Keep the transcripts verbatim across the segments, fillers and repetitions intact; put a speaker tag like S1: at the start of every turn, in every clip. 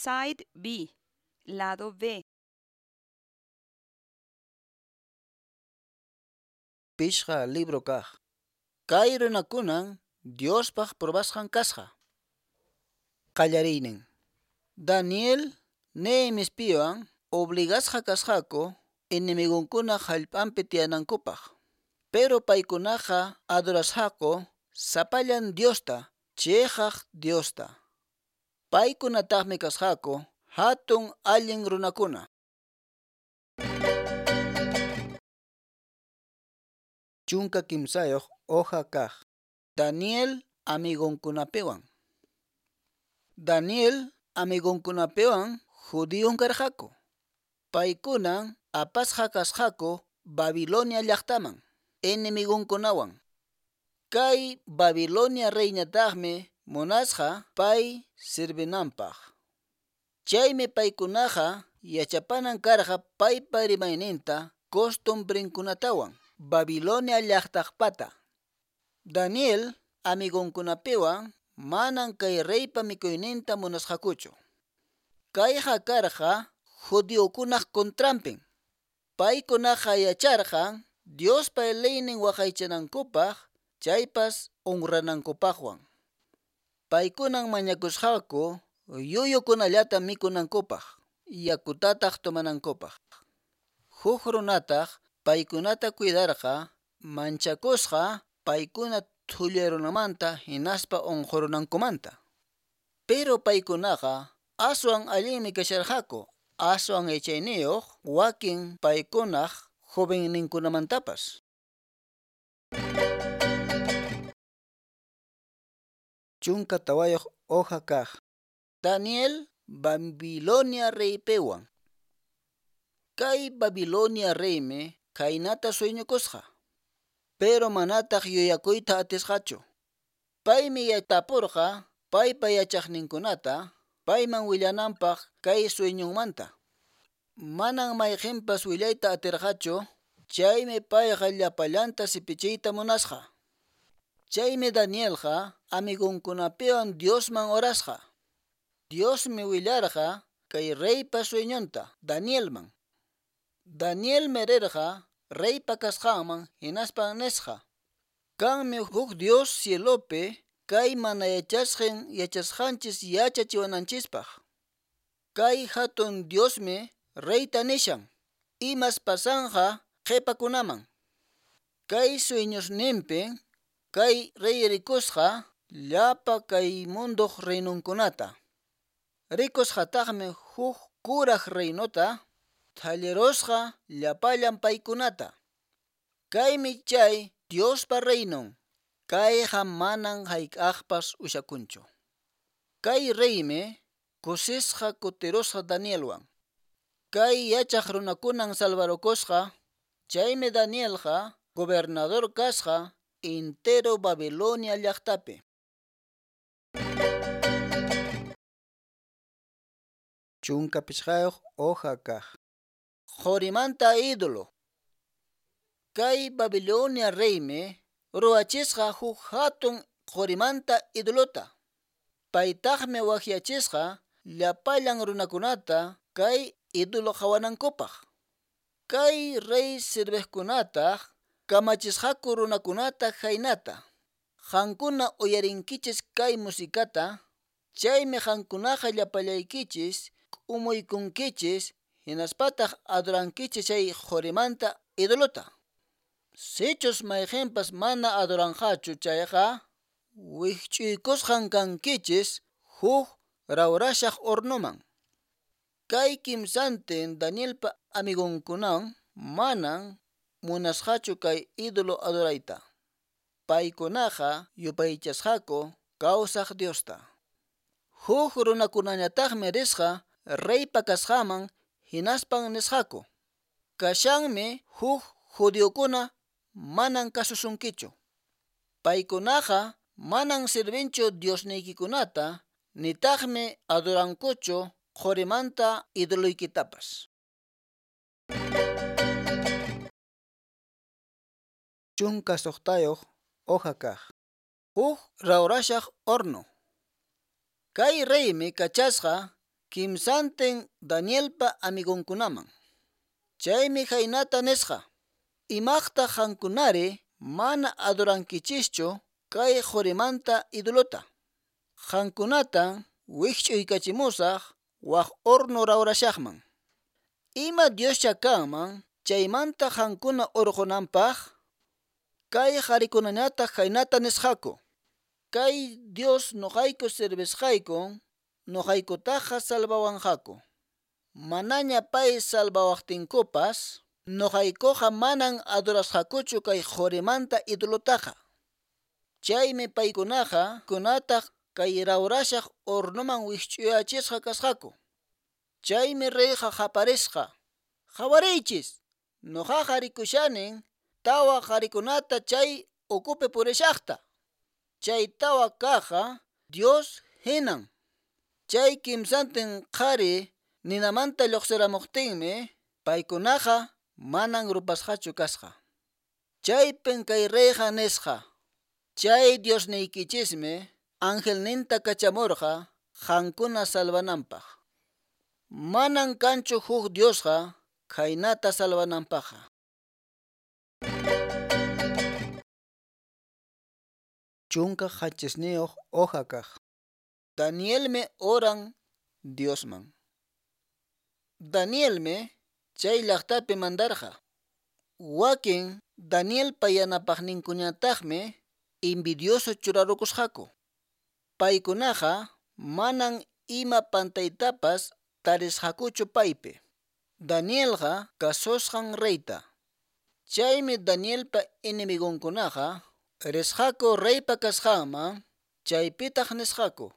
S1: Side B, lado B.
S2: Pishqa libro kaq. Kay runakunan Diospaq probasqan kasqa. Qallariynin. Daniel Nehemiaspiwan obligasqa kasqaku enemigunkuna hallp'anpi tiyanankupaq. Pero paykunaqa adorasqaku sapallan Diosta, chiqaq Diosta. Paykunataqmi kasqaku hatun allin runakuna. Chunka kimsayuq hoja kaq. Daniel amigonkunapiwan. Daniel amigonkunapiwan judíon karqaku. Paykunan apasqa kasqaku Babilonia llaqtaman enemigonkunawan. Kay Babilonia reyñataqmi munasqa pay servinanpaq. Chaymi paykunaqa yachapanan karqa paypa rimayninta costumbrenkunatawan Babilonia llaqtaqpata. Daniel amigonkunapiwan manan kay reypa mikuyninta munasqakuchu. Kayqa karqa judiokunaq contranpin. Paykunaqa yacharqan Diospa leynin waqaychanankupaq chaypas honranankupaqwan. Paykunan mañakusqaku yuyukunallata mikunankupaq, yakutataq tomanankupaq. Huk runataq paykunata cuidarqa manchakusqa paykuna thullarunamanta hinaspa unqurunankumanta. Pero paykunaqa aswan allinmi kasharqaku, aswan yachayniyuq wakin paykunaq jovenninkunamantapas. Chunka tawayuq hoja kaq. Daniel Babilonia reypiwan. Kay Babilonia reymi khaynata sueñokusqa, pero manataq yuyakuyta atisqachu. Paymi tapurqa paypa yachaqninkunata payman willananpaq kay sueñonmanta. Manan mayqinpas willayta atirqachu, chaymi payqa llapallanta sipichiyta munasqa. Chaymi Danielqa amigonkunapiwan Diosman orasqa. Diosmi willarqa kay reypa sueñonta Danielman. Danielmi rirqa reypa kasqanman hinaspan nisqa: Kanmi huk Dios cielopi kay mana yachasqan yachasqanchis yachachiwananchispaq. Kay hatun Diosmi reyta nishan imas pasanqa qhipakunaman. Kay sueñosninpin kay rey rikusqa llapa kay munduq reinunkunata. Rikusqataqmi huk kuraq reinota thallirusqa llapallan paykunata. Kaymi chay Diospa reinon. Kayqa manan hayk'aqpas ushakunchu. Kay reymi kusisqa kutirusqa Danielwan. Kay yachaq runakunan salvarukusqa, chaymi Danielqa gobernador kasqa entero Babilonia llaqtapi. Chunka pichqayuq hoja kaq. Qorimanta ídolo. Kay Babilonia reymi ruwachisqa huk hatun qorimanta ídolota. Paytaqmi waqyachisqa llapallan runakunata kay ídolo qhawanankupaq. Kay rey serviqkunataq kamachisqaku runakunata khaynata: Qankuna uyarinkichis kay musikata, chaymi qankunaqa llapallaykichis k'umuykunkichis hinaspataq adorankichis chay qorimanta ídolota. Sichus mayqinpas mana adoranqachu chayqa wikch'uykusqan kankichis huk rawrashaq hornoman. Kay kimsantin Danielpa amigonkunan manan munasqachu kay ídolo adorayta. Paykunaqa yupaychasqaku kawsaq Diosta. Huk runakunañataqmi risqa reypa kasqanman hinaspan nisqaku: Kashanmi huk judiokuna manan kasusunkichu. Paykunaqa manan servinchu diosniykikunata, nitaqmi adorankuchu qorimanta idoloykitapas. Chunka suqtayuq hoja kaq. Huk rawrashaq horno. Kay reymi kachasqa kimsantin Danielpa amigonkunaman. Chaymi khaynata nisqa: Imaqtaq qankunari mana adorankichischu kay qorimanta idolota? Qankunatan wikch'uykachimusaq wak horno rawrashaqman. Ima Dioscha kanman chaymanta qankuna orqonanpaq? Kay qharikunañataq khaynata nisqaku: Kay Dios noqayku servisqaykun noqaykutaqa salvawanqaku. Manaña pay salvawaqtinkupas, noqaykuqa manan adorasqakuchu kay qorimanta idolotaqa. Chaymi paykunaqa kunataq kay rawrashaq hornoman wikch'uyachisqa kasqaku. Chaymi reyqa qaparisqa: Qhawariychis, noqaqa rikushanin tawa qharikunata chay ukupi purishaqta. Chay tawa kaqqa Dios hinan. Chay kimsantin qhari ninamanta lluqsiramuqtinmi paykunaqa manan rupasqachu kasqa. Chaypin kay reyqa nisqa: Chay Diosniykichismi angelninta kachamurqa qankuna salvananpaq. Manan kanchu huk Diosqa khaynata salvananpaqqa. Chunka qanchisniyuq hoja kaq. Danielmi oran Diosman. Danielmi chay llaqtapi mandarqa. Wakin Danielpa yanapaqninkuñataqmi envidioso churarukusqaku. Paykunaqa manan ima pantaytapas tarisqakuchu paypi. Danielqa kasusqan reyta. Chaymi Danielpa enemigonkunaqa risqaku reypa kasqanman, chaypitaq nisqaku: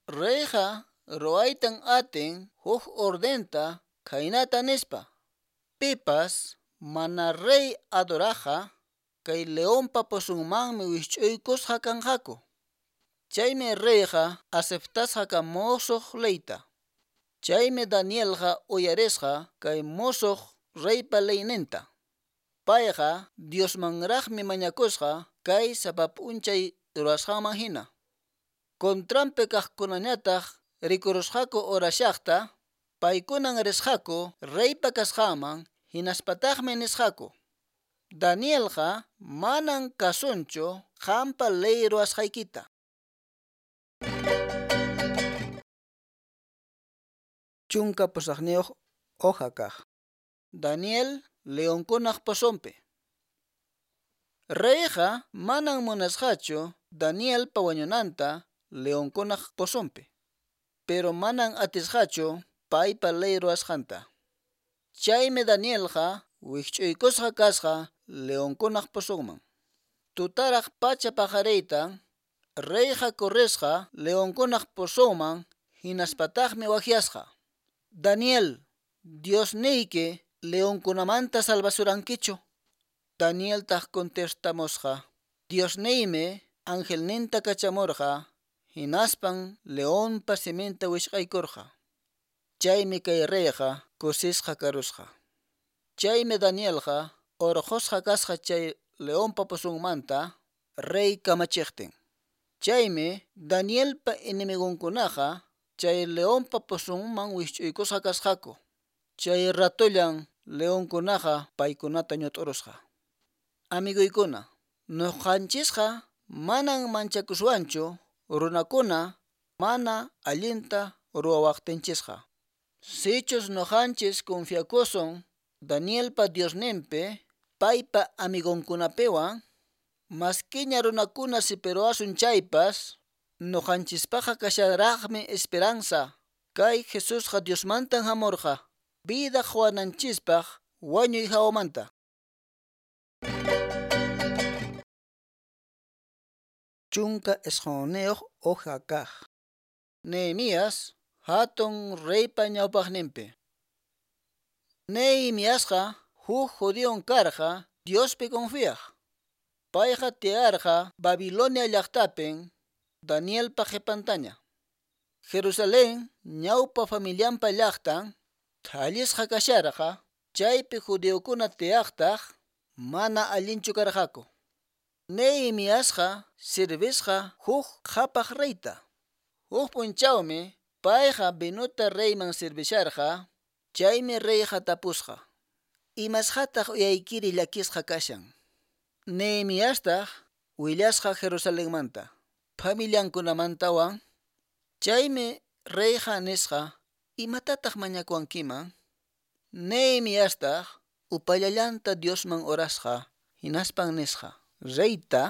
S2: Reyqa ruwaytan atin huk ordenta khaynata nispa: Pipas mana rey adoraqqa kay leonpa pozonmanmi wikch'uykusqa kanqaku. Chaymi reyqa aceptasqa musuq leyta. Chaymi Danielqa uyarisqa kay musuq reypa leyninta. Payqa Diosmanraqmi mañakusqa kay sapa p'unchay ruwasqanman hina. Contranpi kaqkunañataq rikurusqaku orashaqta, paykunan risqaku reypa kasqanman hinaspataqmi nisqaku: Danielqa manan kasunchu qampa ley ruwasqaykita. Chunka pusaqniyuq hoja kaq. Daniel leonkunaq pozonpi. Reyqa manan munasqachu Danielpa wañunanta leonkunaq pozonpi, pero manan atisqachu paypa ley ruwasqanta. Chaymi Danielqa wikch'uykusqa kasqa leonkunaq pozonman. Tutaraq pacha paqariytan reyqa corrisqa leonkunaq pozonman hinaspataqmi waqyasqa: Daniel, Diosniyki leonkunamanta salvasurankichu? Danieltaq contestamusqa: Diosniymi angelninta kachamurqa hinaspan leonpa siminta wishqaykurqa. Chaymi kay reyqa kusisqa karusqa. Chaymi Danielqa urqusqa kasqa chay leonpa pozonmanta rey kamachiqtin. Chaymi Danielpa enemigonkunaqa chay leonpa pozonman wikch'uykusqa kasqaku. Chay ratullan leonkunaqa paykunata ñut'urusqa. Amiguykuna, nuqanchisqa manan manchakuswanchu runakuna mana allinta ruwawaqtinchisqa. Sichus nuqanchis confiakusun Danielpa Diosninpi, paypa amigonkunapiwan, maskiña runakuna sipiruwasun chaypas, nuqanchispaqqa kasharaqmi esperanza. Kay Jesusqa Diosmantan hamurqa, vida quwananchispaq wañuy hawamanta. Chunka isqunniyuq hoja kaq. Nehemías hatun reypa ñawpaqninpi. Nehemiasqa huk judíon karqa Diospi confiaq. Payqa tiyarqa Babilonia llaqtapin Danielpa qhipantaña. Jerusalén ñawpa familianpa llaqtan thallisqa kasharqa, chaypi judiokuna tiyaqtaq mana allinchu karqaku. Nehemiasqa servisqa huk qhapaq reyta. Huk p'unchawmi Payqa vinuta reyman servisharqa, chaymi reyqa tapusqa: Imasqataq uyaykiri llakisqa kashan? Nehemiastaq willasqa Jerusalenmanta, familiankunamantawan. Chaymi reyqa nisqa: Imatataq mañakuwankiman? Nehemiastaq upallallanta Diosman orasqa, hinaspan nisqa reyta: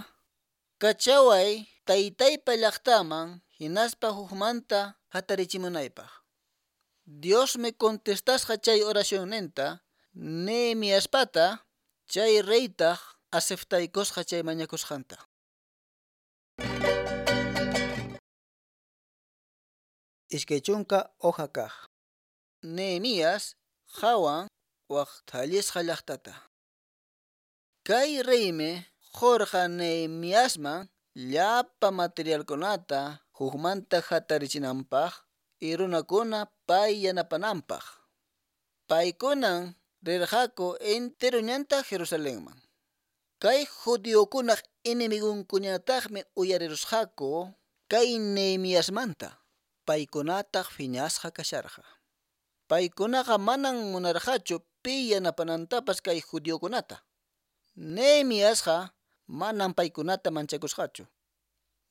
S2: Kachaway taytaypa llaqtaman hinaspa hukmanta hatarichimunaypaq. Diosmi contestasqa chay oracionninta Nehemiaspata, chay reytaq aceptaykusqa chay mañakusqanta. Iskay chunka hoja kaq. Nehemías qhawan wak thallisqa llaqtata. Kay reymi qurqa Nehemiasman llapa materialkunata hukmanta hatarichinanpaq y runakuna pay yanapananpaq. Paykunan rirqaku entero ñanta Jerusalenman. Kay judiokunaq enemigonkuñataqmi uyarirusqaku kay Nehemiasmanta, paykunataq phiñasqa kasharqa. Paykunaqa manan munarqachu pi yanapanantapas kay judiokunata. Nehemiasqa manan paykunata manchakusqachu.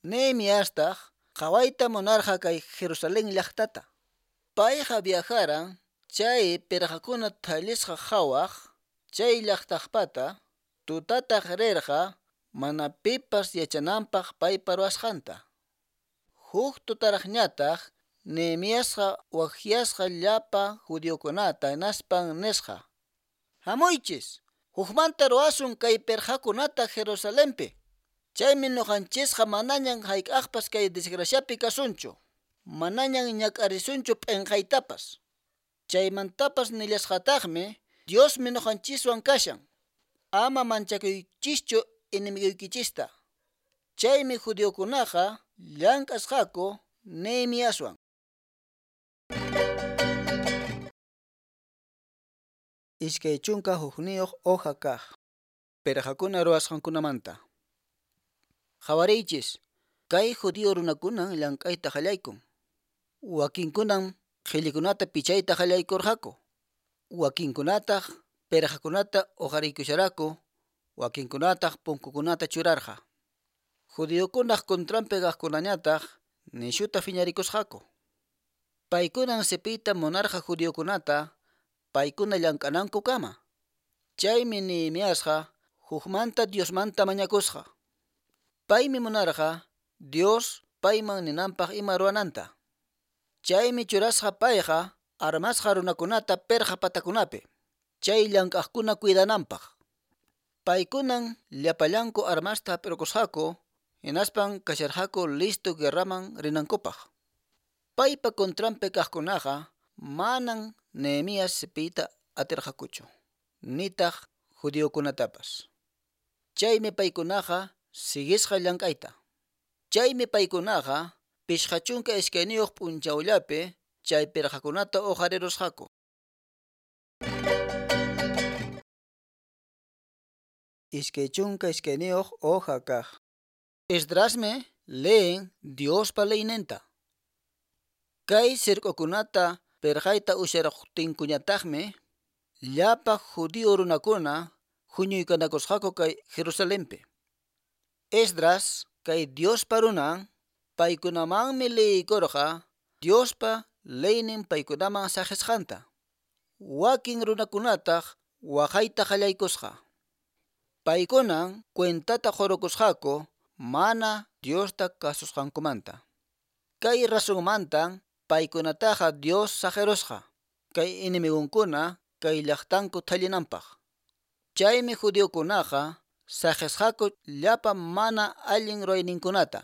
S2: Nehemiastaq qhawayta munarqa kay Jerusalén llaqtata. Payqa viajaran chay pirqakuna thallisqa qhawaq chay llaqtaqpata, tutataq rirqa mana pipas yachananpaq paypa ruwasqanta. Huk tutaraqñataq Nehemiasqa waqyasqa llapa judiokunata hinaspan nisqa: Hamuychis, hukmanta ruwasun kay pirqakunata Jerusalenpi. Chaymi ñuqanchisqa manañan hayk'aqpas kay desgraciapi kasunchu, manañan ñak'arisunchu p'inqaytapas. Chaymantapas nillasqataqmi: Diosmi ñuqanchiswan kashan. Ama manchakuychischu enemiguykichista. Chaymi judiokunaqa llank'asqaku Nehemiaswan. Iskay chunka hukniyuq hoja kaq. Pirqakuna ruwasqankunamanta. Qhawariychis, kay judío runakunan llank'ayta qallaykun. Wakinkunan qhillikunata pichayta qallaykurqaku. Wakinkunataq pirqakunata uqariykusharaku, wakinkunataq punkukunata churarqa. Judiokunaq contranpi kaqkunañataq nishuta phiñarikusqaku. Paykunan sipiyta munarqa judiokunata, paykuna llank'anankukama. Chaymi Nehemiasqa hukmanta Diosmanta mañakusqa. Paymi munarqa Dios payman ninanpaq ima ruwananta. Chaymi churasqa payqa armasqa runakunata pirqa patakunapi, chay llank'aqkuna cuidananpaq. Paykunan llapallanku armasta hap'irqusqaku, hinaspan kasharqaku listo guerraman rinankupaq. Paypa contranpi kaqkunaqa manan Nehemías sipiyta atirqakuchu, nitaq judiokunatapas. Chaymi paykunaqa siguisqa llank'ayta. Chaymi paykunaqa pishqa chunka iskayniyuq p'unchawllapi chay pirqakunata uqarirusqaku. Iskay chunka iskayniyuq hoja kaq. Esdrasmi leen Diospa leyninta. Kay sirk'ukunata pirqayta usharuqtinkuñataqmi llapa judío runakuna huñuykanakusqaku kay Jerusalenpi. Esdras kay Diospa runan paykunamanmi leykurqa Diospa leynin paykunaman saqisqanta. Wakin runakunataq waqayta qallaykusqa. Paykunan cuentata qurukusqaku mana Diosta kasusqankumanta. Kay razonmantan paykunataqa Dios saqirusqa kay enemigunkuna kay llaqtanku thallinanpaq. Chaymi judiokunaqa saqisqaku llapa mana allin ruwayninkunata.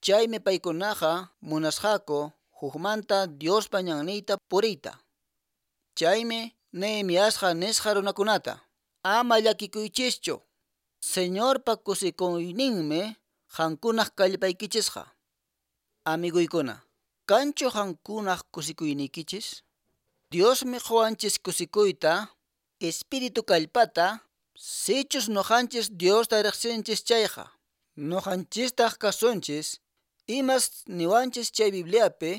S2: Chaymi paykunaqa munasqaku hukmanta Diospa ñanniyta puriyta. Chaymi Nehemiasqa nisqa runakunata: Ama llakikuychischu, Señorpa kusikuyninmi qankunaq kallpaykichisqa. Amiguykuna, kanchu qankunaq kusikuyniykichis? Diosmi quwanchis kusikuyta, espíritu kallpata, sichus ñuqanchis Diosta riqsinchis chayqa. Ñuqanchistaq kasunchis imas niwanchis chay Bibliapi.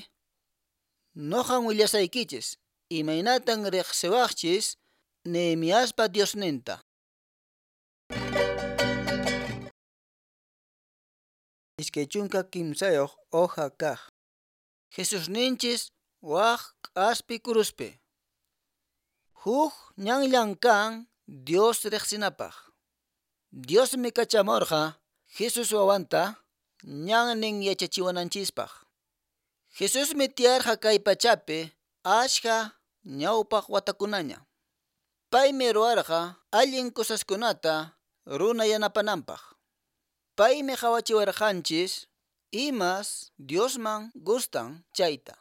S2: Noqan willasaykichis imaynatan riqsiwaqchis Nehemiaspa Diosninta. Iskay chunka kimsayuq hoja kaq. Jesusninchis waq k'aspi kuruspi. Huk ñanllan kan Dios riqsinapaq. Diosmi kachamurqa Jesus wawanta ñannin yachachiwananchispaq. Jesusmi tiyarqa kay pachapi ashka ñawpaq watakunaña. Paymi ruwarqa allin cosaskunata runa yanapananpaq. Paymi qhawachiwarqanchis imas Diosman gustan chayta.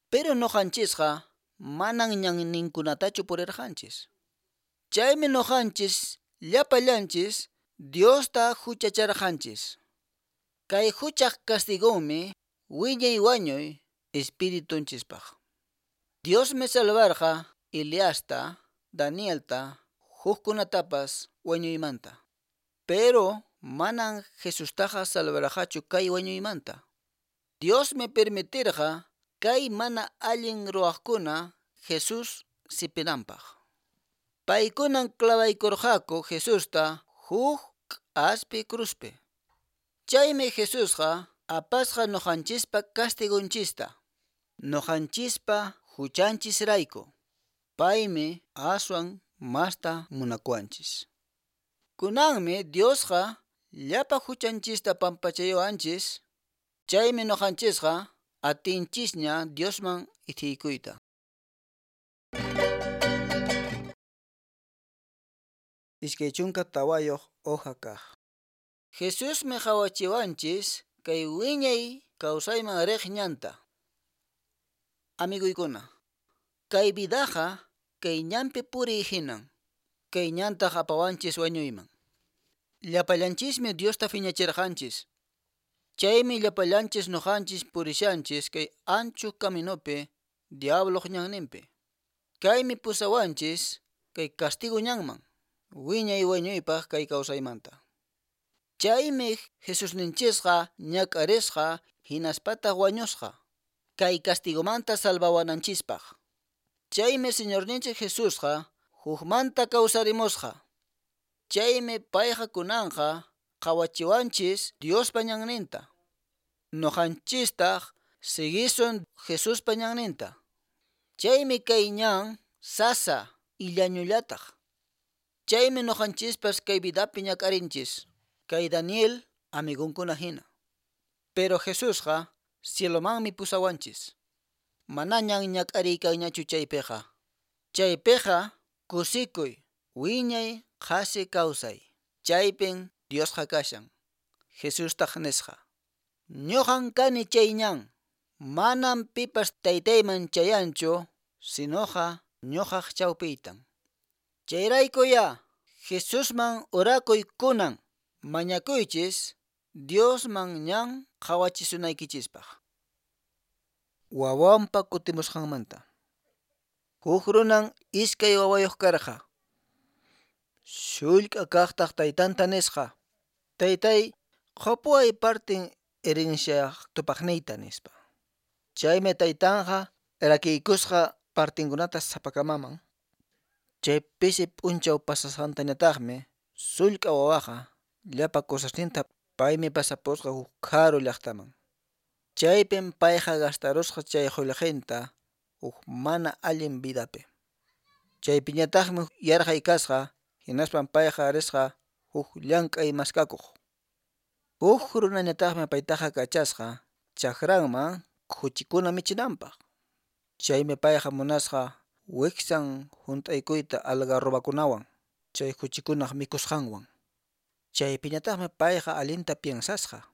S2: Pero nuqanchisqa manan ñanninkunatachu purirqanchis. Chaymi nuqanchis llapallanchis Diosta huchacharqanchis. Kay huchaq castigonmi wiñay wañuy espiritunchispaq. Diosmi salvarqa Eliasta, Danielta, hukkunatapas wañuymanta. Pero manan Jesustaqa salvarqachu kay wañuymanta. Diosmi permitirqa kay mana allin ruwaqkuna Jesús sipinanpaq. Paykunan clavaykurqaku Jesusta huk k'aspi cruzpi. Chaymi Jesusqa apasqa nuqanchispa castigunchista, nuqanchispa huchanchisrayku. Paymi aswan masta munakuwanchis. Kunanmi Diosqa llapa huchanchista pampachayuwanchis, chaymi nuqanchisqa atinchisña Diosman ithiykuyta. Iskay chunka tawayuq hoja kaq. Jesusmi qhawachiwanchis kay wiñay kawsayman riq ñanta. Amiguykuna, kay vidaqa kay ñanpi puriy hinan, kay ñantaq apawanchis wañuyman. Llapallanchismi Diosta phiñachirqanchis. Chaymi llapallanchis nuqanchis purishanchis kay ancho caminopi diabloq ñanninpi. Kaymi pusawanchis kay castigo ñanman, wiñay wañuypaq kay kawsaymanta. Chaymi Jesusninchisqa ñak'arisqa hinaspataq wañusqa kay castigomanta salvawananchispaq. Chaymi Señorninchik Jesusqa hukmanta kawsarimusqa. Chaymi payqa kunanqa qhawachiwanchis Diospa ñanninta. Nuqanchistaq siguisun Jesuspa ñanninta. Chaymi kay ñan sasa illañullataq. Chaymi nuqanchispas kay vidapi ñak'arinchis, kay Daniel amigunkuna hina. Pero Jesusqa cielomanmi pusawanchis. Manañan ñak'ariykanñachu chaypiqa. Chaypiqa kusikuy, wiñay qhasi kawsay. Chaypin Diosqa kashan. Jesustaq nisqa: Ñuqan kani chay ñan, manam pipas taytayman chayanchu, sinoqa ñuqaq chawpiytan. Chayraykuya Jesusman orakuy kunan, mañakuychis Diosman ñan qhawachisunaykichispaq. Wawanpa kutimusqanmanta. Huk runan iskay wawayuq karqa. Sullk'a kaqtaq taytanta nisqa: Taytay, qupuway partin herenciaq tupaqniyta nispa. Chaymi taytanqa rakiykusqa partinkunata sapakamaman. Chay pisi p'unchaw pasasqantañataqmi sullk'a wawaqa llapa cosasninta paymi pasapusqa huk karu llaqtaman. Chaypim payqa gastarusqa chay qullqinta huk mana allin vidapi. Chaypiñataqmi yarqay kasqa, hinaspan payqa risqa huk llank'ay maskakuq. Huk runañataqmi paytaqa kachasqa chakranman khuchikuna michinanpaq. Chaymi payqa munasqa wiksan hunt'aykuyta algarrobakunawan chay khuchikunaq mikusqanwan. Chaypiñataqmi payqa allinta piensasqa: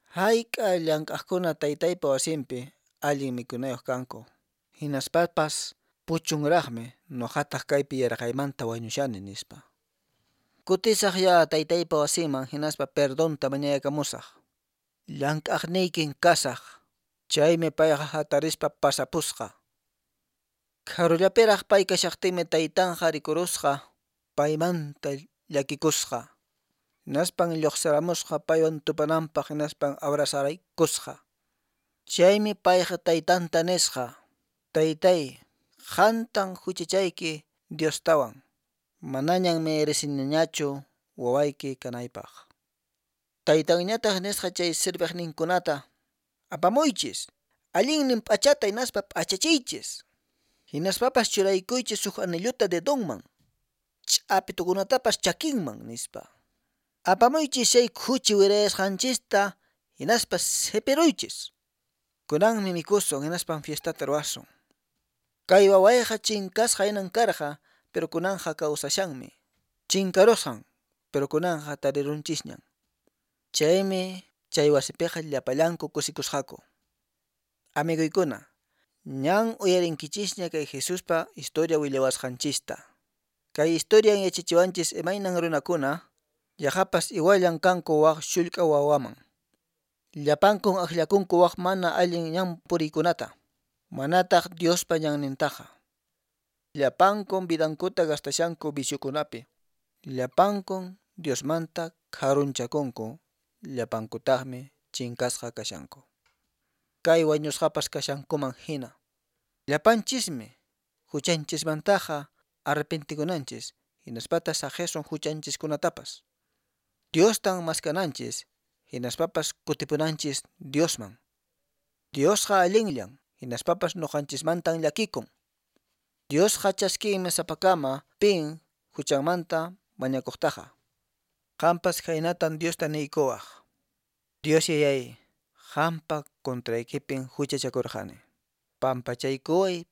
S2: Hayk'a llank'aqkuna taytaypa wasinpi allin mikunayuq kanku, hinaspapas puchunraqmi nuqataq kaypi yarqaymanta wañushani nispa. Kutisaq ya taytaypa wasinman hinaspa perdonta mañayakamusaq. Llank'aqniykin kasaq. Chaymi payqa hatarispa pasapusqa. Karullapiraq pay kashaqtinmi taytanqa rikurusqa, paymanta llakikusqa. Hinaspan lluqsiramusqa paywan tupananpaq hinaspan abrazaraykusqa. Chaymi payqa taytanta nisqa: Taytay, qantan huchachayki Diostawan. Manañan mereciniñachu wawayki kanaypaq. Taytanñataq nisqa chay serviqninkunata: Apamuychis, allinnin p'achata hinaspa p'achachiychis. Hinaspapas churaykuychis huk anillota dedonman, ch'apitukunatapas chakinman, nispa. Apamuychis chay khuchi wirayasqanchista hinaspa sipiruychis. Kunanmi mikusun hinaspan fiestata ruwasun. Kay wawayqa chinkasqa hinan karqa, pero kunanqa kawsashanmi. Chinkarusqan, pero kunanqa tarirunchisñan. Chaymi chay wasipiqa llapallanku kusikusqaku. Amiguykuna, ñan uyarinkichisña kay Jesuspa historia willawasqanchista. Kay historian yachachiwanchis imaynan runakuna yaqapas iguallan kanku wak shullk'a wawaman. Llapankun akllakunku wak mana allin ñan puriykunata, manataq Diospa ñannintaqa. Llapankun vidankuta gastashanku viciokunapi. Llapankun Diosmanta karunchakunku, llapankutaqmi chinkasqa kashanku. Kay wañusqapas kashankuman hina. Llapanchismi huchanchismantaqa arrepentikunanchis, hinaspataq saqisun huchanchiskunatapas. Diostan maskananchis, hinaspapas kutipunanchis Diosman. Diosqa allinllan, hinaspapas nuqanchismantan llakikun. Diosqa chaskinmi sapakama pin huchanmanta mañakuqtaqa. Qampas khaynatan Diosta niykuwaq: Dios Yayay, qampa contraykipin huchachakurqani. Pampachaykuway,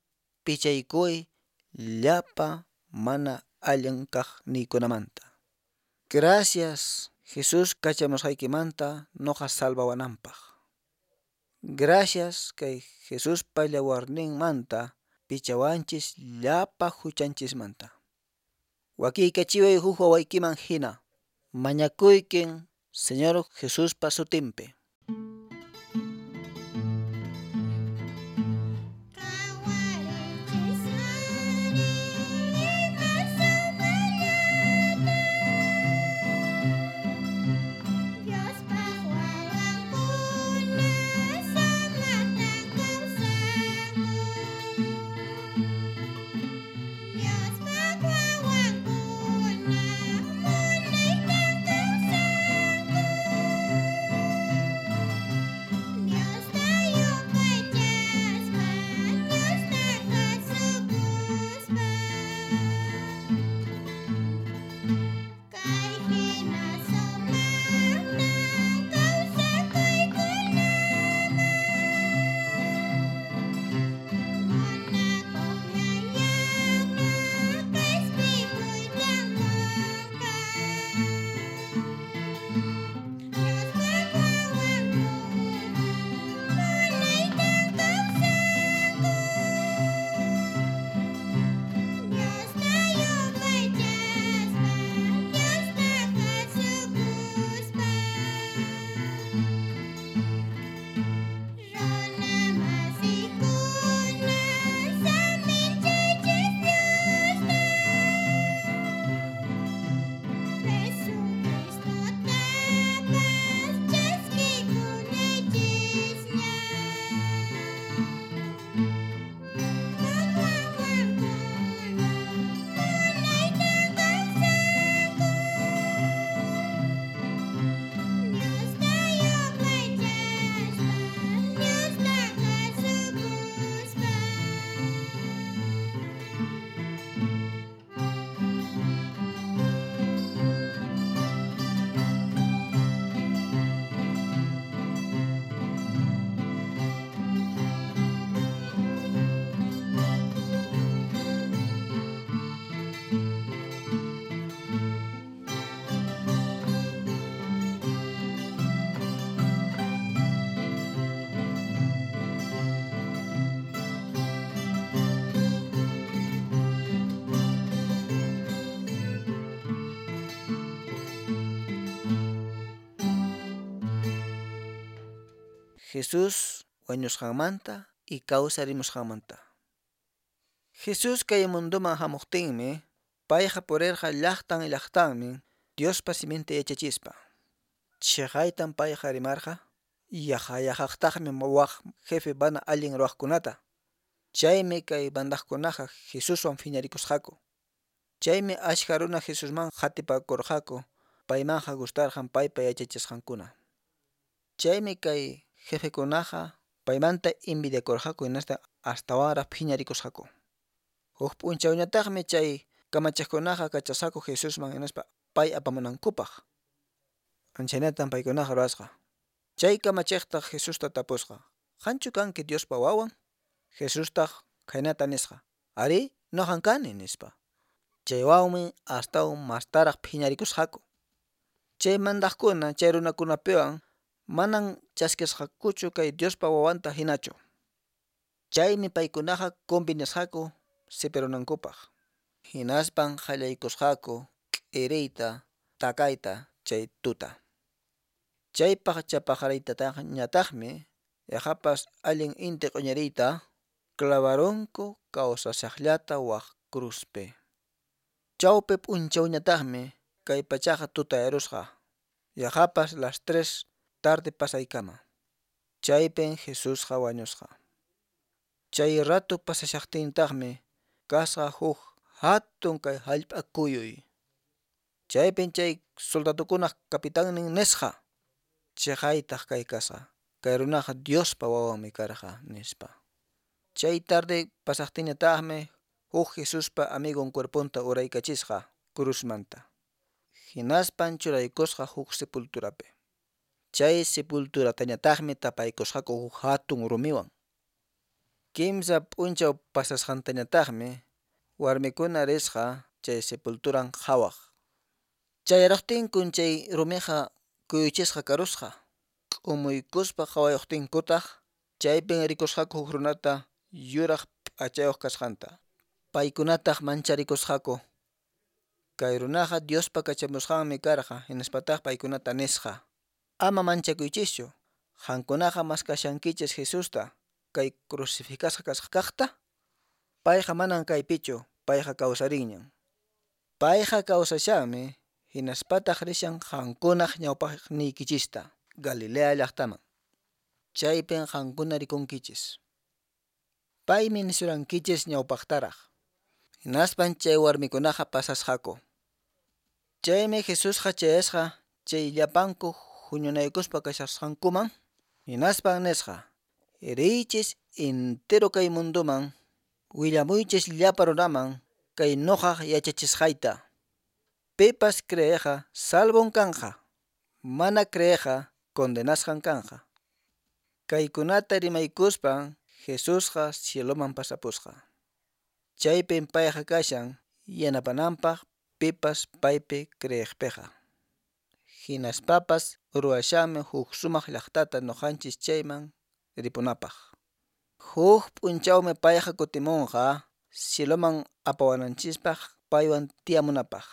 S2: pichaykuway llapa mana allin kaqniykunamanta. Gracias Jesús kachamusqaykimanta nuqa salvawananpaq. Gracias kay Jesuspa yawarninmanta pichawanchis llapa huchanchismanta. Wakiykachiway huk wawaykiman hina. Mañakuykin Señor Jesuspa sutinpi.
S3: Qhawariychis ari ima sumaqllata, Diospaq wawankuna sumaqtan kawsanku. Diospaq wawankuna munaytan kawsanku. Diosta yupaychaspa, Diosta kasukuspa. Kay hina sumaqta kawsakuy kunaman, munakuq Yayapa q'ispikuytan qunqa. Diospaq wawankuna munaytan kawsanku. Diosta yupaychaspa, Diosta kasukuspa. Runa masiykuna saminchaychis Diosta, Jesucristotapas chaskikunaychisña. Diospaq wawankuna munaytan kawsanku. Diosta yupaychaspa, Diosta kasukuspa.
S2: Jesús wañusqanmanta y kawsarimusqanmanta. Jesús kay munduman hamuqtinmi, payqa purirqa llaqtan llaqtanmi Diospa siminta yachachispa. Chhaqaytan payqa rimarqa, yaqa yaqaqtaqmi waq jefe mana allin ruwaqkunata. Chaymi kay mandaqkunaqa Jesuswan phiñarikusqaku. Chaymi ashka runa Jesusman qatipakurqaku, paymanqa gustarqan paypa yachachisqankuna. Chaymi kay jefekunaqa paymanta envidiakurqaku hinaspa astawanraq phiñarikusqaku. Huk p'unchawñataqmi chay kamachiqkunaqa kachasqaku Jesusman hinaspa pay apamunankupaq. Anchaynatan paykunaqa ruwasqa. Chay kamachiqtaq Jesusta tapusqa: "Qanchu kanki Diospa wawan?" Jesustaq khaynata nisqa: "Arí, nuqan kani", nispa. Chaywanmi astawan mastaraq phiñarikusqaku. Chay mandaqkuna chay runakunapiwan manan chaskisqakuchu kay Diospa wawanta hinachu. Chaymi paykunaqa convenisqaku sipirunankupaq. Hinaspan qallaykusqaku k'iriyta takayta chay tuta. Chay pacha paqariytataqñataqmi yaqapas allin inti q'uñiriyta clavarunku kawsashaqllata wak cruzpi. Chawpi p'unchawñataqmi kay pachaqa tutayarusqa, yaqapas las tres tarde pasaykama. Chaypin Jesusqa wañusqa. Chay rato pasashaqtintaqmi kasqa huk hatun kay hallp'a kuyuy. Chaypin chay soldadokunaq kapitannin nisqa: "Chiqaytaq kay kasqa, kay runaqa Diospa wawanmi karqa", nispa. Chay tarde pasaqtinñataqmi huk Jesuspa amigon cuerponta uraykachisqa cruzmanta. Hinaspan churaykusqa huk sepulturapi. Chay sepulturatañataqmi tapaykusqaku huk hatun rumiwan. Kimsa p'unchaw pasasqantañataqmi warmikuna risqa chay sepulturan qhawaq. Chayaruqtinkun chay rumiqa kuyuchisqa karusqa. K'umuykuspa qhawayuqtinkutaq chaypin rikusqaku huk runata yuraq p'achayuq kasqanta. Paykunataq mancharikusqaku. Kay runaqa Diospa kachamusqanmi karqa hinaspataq paykunata nisqa: "Ama manchakuychischu, qankunaqa maskashankichis Jesusta, kay crucificasqa kasqa kaqta. Payqa manan kaypichu, payqa kawsarinñan. Payqa kawsashanmi hinaspataq rishan qankunaq ñawpaqniykichista Galilea llaqtaman. Chaypin qankuna rikunkichis. Paymi nisurankichis ñawpaqtaraq." Hinaspan chay warmikunaqa pasasqaku. Chaymi Jesusqa chayasqa chay llapanku huñunaykuspa kashasqankuman, hinaspan nisqa: "Riychis entero kay munduman, willamuychis llapa runaman kay nuqaq yachachisqayta. Pipas creeqqa salvon kanqa, mana creeqqa condenasqan kanqa." Kaykunata rimaykuspan Jesusqa cieloman pasapusqa. Chaypin payqa kashan yanapananpaq pipas paypi creeqpiqa. Hinaspapas ruwashanmi huk sumaq llaqtata nuqanchis chayman ripunapaq. Huk p'unchawmi payqa kutimunqa cieloman apawananchispaq paywan tiyamunapaq.